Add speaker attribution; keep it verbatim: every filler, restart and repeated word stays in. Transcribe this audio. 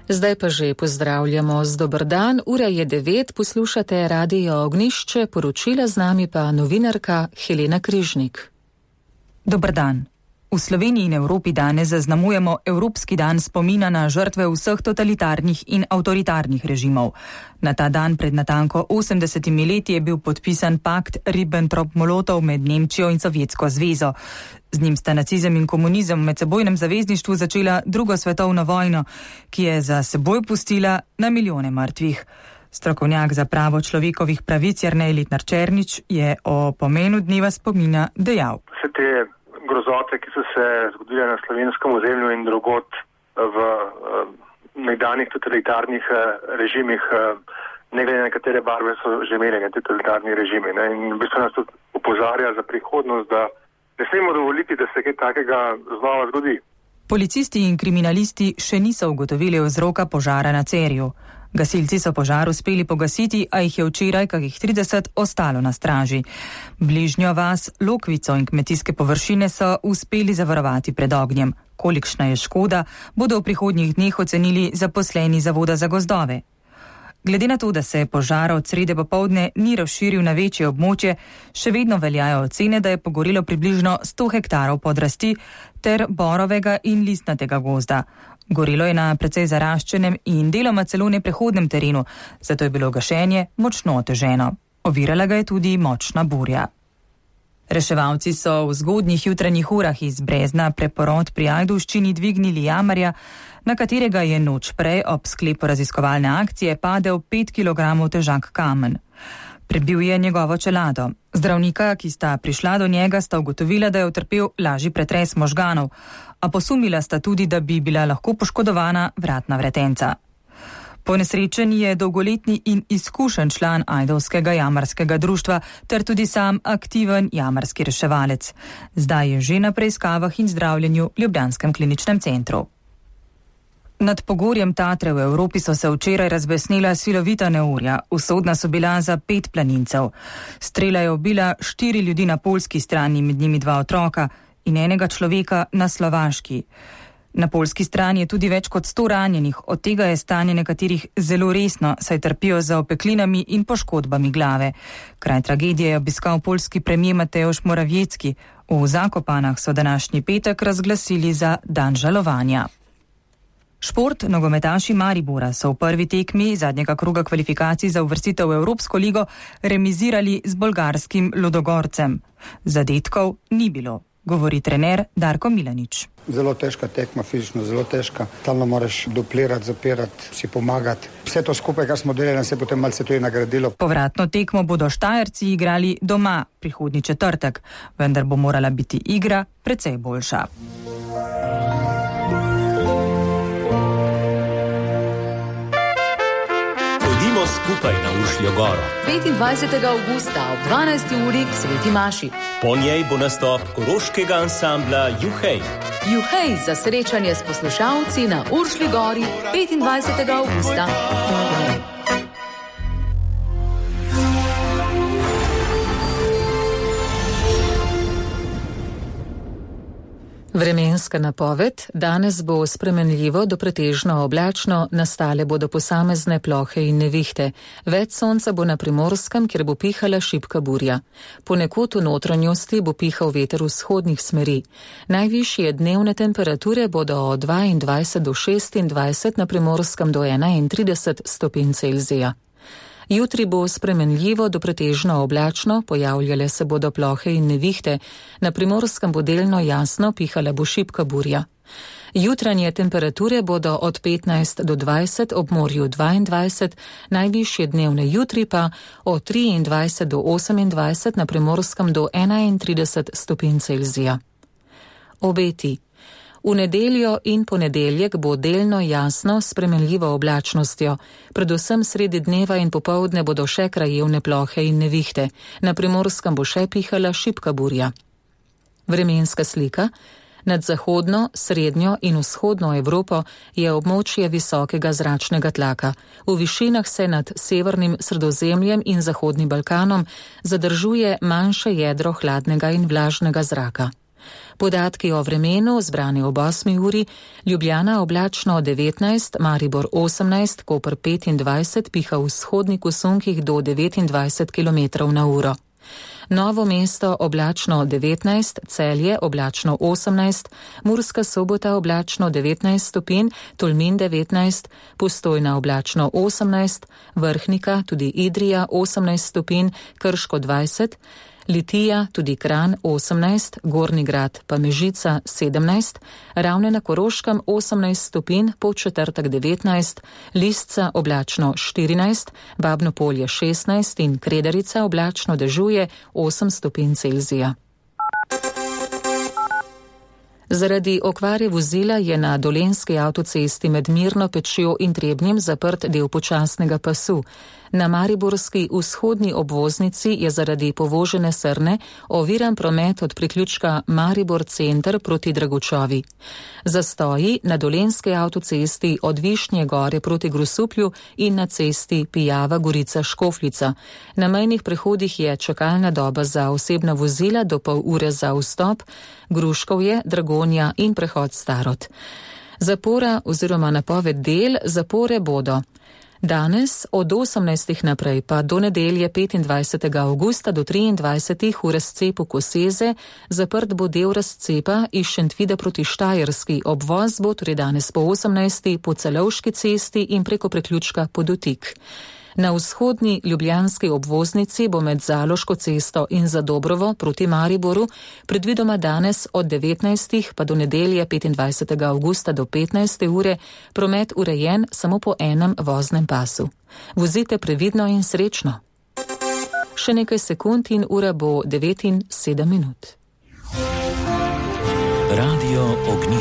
Speaker 1: Zdaj pa že pozdravljamo z dober dan, ura je devet, poslušate Radio Ognjišče, poročila z nami pa novinarka Helena Križnik.
Speaker 2: Dober dan. V Sloveniji in Evropi danes zaznamujemo Evropski dan spomina na žrtve vseh totalitarnih in avtoritarnih režimov. Na ta dan pred natanko osemdesetimi leti je bil podpisan pakt Ribbentrop-Molotov med Nemčijo in Sovjetsko zvezo. Z njim sta nacizem in komunizem v medsebojnem zavezništvu začela drugo svetovno vojno, ki je za seboj pustila na milijone mrtvih. Strokovnjak za pravo človekovih pravic Jernej Litnar-Černič je o pomenu dneva spomina dejal.
Speaker 3: Vse te grozote, ki so se zgodile na slovenskem ozemlju in drugod v nekdanjih totalitarnih režimih, ne glede na katere barve so že imeli te totalitarni režimi. Ne? In v bistvu nas to opozarja za prihodnost, da ne smemo dovoliti, da se kaj takega znova zgodi.
Speaker 2: Policisti in kriminalisti še niso ugotovili vzroka požara na Cerju. Gasilci so požar uspeli pogasiti, a jih je včeraj kakih trideset ostalo na straži. Bližnjo vas, Lokvico in kmetijske površine so uspeli zavarovati pred ognjem. Kolikšna je škoda, bodo v prihodnjih dneh ocenili zaposleni Zavoda za gozdove. Glede na to, da se požar od srede popoldne ni razširil na večje območje, še vedno veljajo ocene, da je pogorelo približno sto hektarov podrasti ter borovega in listnatega gozda. Gorelo je na precej zaraščenem in deloma celo neprehodnem terenu, zato je bilo gašenje močno oteženo. Ovirala ga je tudi močna burja. Reševalci so v zgodnjih jutranjih urah iz Brezna Preporod pri Ajdovščini dvignili jamarja, na katerega je noč prej ob sklepu raziskovalne akcije padel pet kilogramov težak kamen. Prebil je njegovo čelado. Zdravnika, ki sta prišla do njega, sta ugotovila, da je utrpel lažji pretres možganov, a posumila sta tudi, da bi bila lahko poškodovana vratna vretenca. Ponesrečen je dolgoletni in izkušen član ajdovskega jamarskega društva ter tudi sam aktiven jamarski reševalec. Zdaj je že na preiskavah in zdravljenju v ljubljanskem kliničnem centru. Nad pogorjem Tatre v Evropi so se včeraj razbesnela silovita neurja. Usodna so bila za pet planincev. Strela je ubila štiri ljudi na poljski strani, med njimi dva otroka in enega človeka na slovaški. Na poljski strani je tudi več kot sto ranjenih, od tega je stanje nekaterih zelo resno, saj trpijo za opeklinami in poškodbami glave. Kraj tragedije je obiskal poljski premijer Mateusz Morawiecki. V Zakopanah so današnji petek razglasili za dan žalovanja. Šport, nogometaši Maribora so v prvi tekmi zadnjega kroga kvalifikacij za uvrstitev v Evropsko ligo remizirali z bolgarskim Ludogorcem. Zadetkov ni bilo, govori trener Darko Milanič.
Speaker 4: Zelo težka tekma, fizično zelo težka. Stalno moraš duplirati, zapirati, si pomagati. Vse to skupaj, kar smo delali, se je potem malce tudi nagradilo.
Speaker 2: Povratno tekmo bodo Štajerci igrali doma prihodnji četrtek, vendar bo morala biti igra precej boljša.
Speaker 5: Skupaj na Uršljo goro.
Speaker 6: petindvajsetega avgusta ob dvanajsti uri k Sveti Maši.
Speaker 5: Po njej bo nastop koroškega ansambla Juhej.
Speaker 6: Juhej za srečanje s poslušalci na Uršlji gori petindvajsetega avgusta.
Speaker 1: Vremenska napoved. Danes bo spremenljivo do pretežno oblačno, nastale bodo posamezne plohe in nevihte. Več sonca bo na Primorskem, kjer bo pihala šibka burja. Ponekod v notranjosti bo pihal veter vzhodnih smeri. Najvišje dnevne temperature bodo od dvaindvajset do šestindvajset, na Primorskem do enaintrideset stopinj Celzija. Jutri bo spremenljivo do pretežno oblačno, pojavljale se bodo plohe in nevihte, na Primorskem bo delno jasno, pihala bo šibka burja. Jutranje temperature bodo od petnajst do dvajset, ob morju dvaindvajset, najvišje dnevne jutri pa od triindvajset do osemindvajset, na Primorskem do enaintrideset stopinj Celzija. Obeti. V nedeljo in ponedeljek bo delno jasno s spremenljivo oblačnostjo. Predvsem sredi dneva in popoldne bodo še krajevne plohe in nevihte. Na Primorskem bo še pihala šibka burja. Vremenska slika. Nad zahodno, srednjo in vzhodno Evropo je območje visokega zračnega tlaka. V višinah se nad severnim Sredozemljem in Zahodnim Balkanom zadržuje manjše jedro hladnega in vlažnega zraka. Podatki o vremenu zbrani ob osmi uri: Ljubljana oblačno devetnajst, Maribor osemnajst, Koper petindvajset, piha v vzhodnih usunkih do devetindvajset kilometrov na uro. Novo mesto oblačno devetnajst, Celje oblačno osemnajst, Murska Sobota oblačno devetnajst stopinj, Tolmin devetnajst, Postojna oblačno osemnajst, Vrhnika, tudi Idrija osemnajst stopinj, Krško dvajset, Litija, tudi Kranj osemnajst, Gornji Grad pa Mežica sedemnajst, Ravne na Koroškem osemnajst stopinj, Podčetrtek devetnajst, Lisca oblačno štirinajst, Babno Polje šestnajst in Kredarica oblačno dežuje osem stopinj Celzija. Zaradi okvare vozila je na Dolenjski avtocesti med Mirno Pečjo in Trebnjem zaprt del počasnega pasu. Na mariborski vzhodni obvoznici je zaradi povožene srne oviran promet od priključka Maribor center proti Dragočovi. Zastoji na Dolenjski avtocesti od Višnje gore proti Grosuplju in na cesti Pijava Gorica Škofljica. Na mejnih prehodih je čakalna doba za osebna vozila do pol ure za vstop, Gruškovje, Dragonja in prehod Starod. Zapora oziroma napoved del zapore bodo: danes od osemnajstih naprej pa do nedelje petindvajsetega avgusta do triindvajsetih v razcepu Koseze zaprt bo del razcepa iz Šentvida proti Štajerski. Obvoz bo torej danes po osemnajsti po Celovški cesti in preko priključka Podotik. Na vzhodni ljubljanski obvoznici bo med Zaloško cesto in Zadobrovo proti Mariboru predvidoma danes od devetnajstih pa do nedelje petindvajsetega avgusta do petnajste ure promet urejen samo po enem voznem pasu. Vozite previdno in srečno. Še nekaj sekund in ura bo devet in sedem minut.
Speaker 5: Radio Ognjišče.